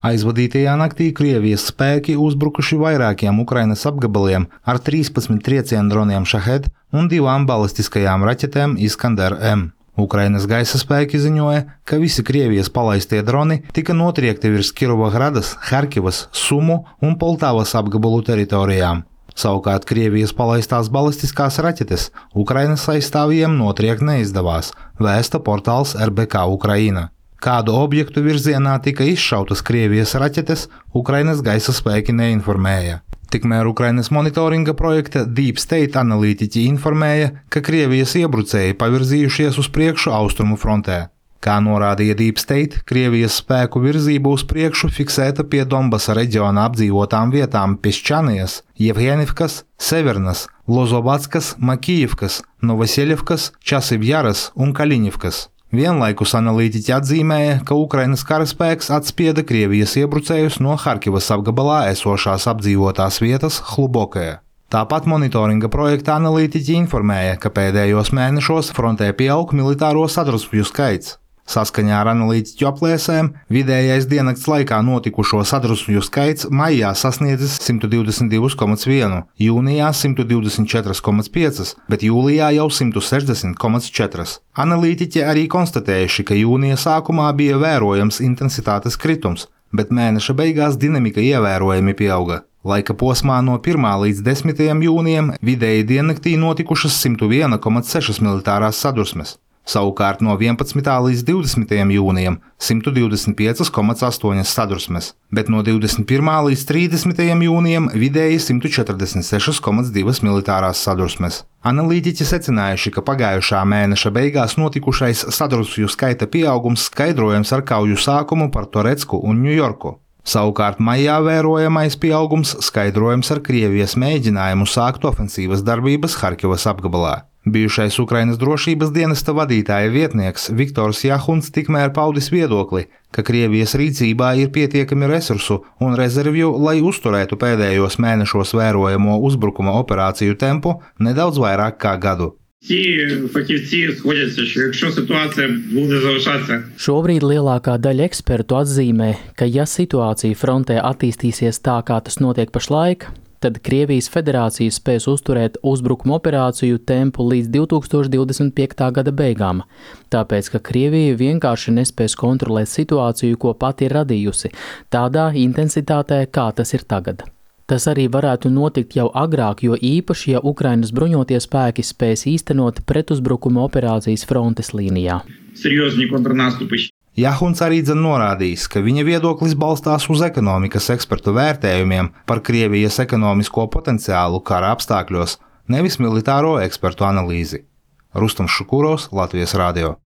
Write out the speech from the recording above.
Aizvadītajā naktī Krievijas spēki uzbrukuši vairākiem Ukrainas apgabaliem ar 13 triecienu droniem Šahed un 2 balistiskajām raķetēm Iskander-M. Ukrainas gaisa spēki ziņoja, ka visi Krievijas palaistie droni tika notriekti virs Kirovohradas, Harkivas, Sumu un Poltavas apgabalu teritorijām. Savukārt Krievijas palaistās balistiskās raķetes Ukrainas aizstāvjiem notriekt neizdevās, vēsta portāls RBK Ukraina. Kādu objektu virzienā tika izšautas Krievijas raķetes, Ukrainas gaisa spēki neinformēja. Tikmēr Ukrainas monitoringa projekta Deep State analītiķi informēja, ka Krievijas iebrucēji pavirzījušies uz priekšu austrumu frontē. Kā norādīja Deep State, Krievijas spēku virzība uz priekšu fiksēta pie Donbasa reģiona apdzīvotām vietām Piščanijas, Jevhenivkas, Severnas, Lozovatskas, Makijivkas, Novoseļevkas, Časivjaras un Kaļiņivkas. Vienlaikus analītiķi atzīmēja, ka Ukrainas karaspēks atspieda Krievijas iebrucējus no Harkivas apgabalā esošās apdzīvotās vietas Hlubokaja. Tāpat monitoringa projekta analītiķi informēja, ka pēdējos mēnešos frontē pieaug militāro sadrumstvju skaits. Saskaņā ar analītiķu aplēsēm, vidējais diennakts laikā notikušo sadrumstvju skaits maijā sasniedzis 122,1, jūnijā 124,5, bet jūlijā jau 160,4. Analītiķi arī konstatējuši, ka jūnija sākumā bija vērojams intensitātes kritums, bet mēneša beigās dinamika ievērojami pieauga. Laika posmā no 1. līdz 10. jūnijam vidēji diennaktī notikušas 101,6 militārās sadursmes. Savukārt no 11. līdz 20. jūnijam 125,8 sadursmes, bet no 21. līdz 30. jūnijam vidēji 146,2 militārās sadursmes. Analītiķi secinājuši, ka pagājušā mēneša beigās notikušais sadrumstvju skaita pieaugums skaidrojams ar kauju sākumu par Torecku un Ņujorku. Savukārt maijā vērojamais pieaugums skaidrojams ar Krievijas mēģinājumu sākt ofensīvas darbības Harkivas apgabalā. Bijušais Ukrainas drošības dienesta vadītāja vietnieks Viktors Jahuns tikmēr paudis viedokli, ka Krievijas rīcībā ir pietiekami resursu un rezervju, lai uzturētu pēdējos mēnešos vērojamo uzbrukuma operāciju tempu nedaudz vairāk kā gadu. Šobrīd lielākā daļa ekspertu atzīmē, ka ja situācija frontē attīstīsies tā, kā tas notiek pašlaik, tad Krievijas federācija spēs uzturēt uzbrukuma operāciju tempu līdz 2025. gada beigām, tāpēc, ka Krievija vienkārši nespēs kontrolēt situāciju, ko pati ir radījusi, tādā intensitātē, kā tas ir tagad. Tas arī varētu notikt jau agrāk, jo īpaši, ja Ukrainas bruņotie spēki spēs īstenot pretuzbrukuma operācijas frontes līnijā. Jahuns arī norādījis, ka viņa viedoklis balstās uz ekonomikas ekspertu vērtējumiem par Krievijas ekonomisko potenciālu kara apstākļos, nevis militāro ekspertu analīzi. Rustams Šukurovs, Latvijas radio.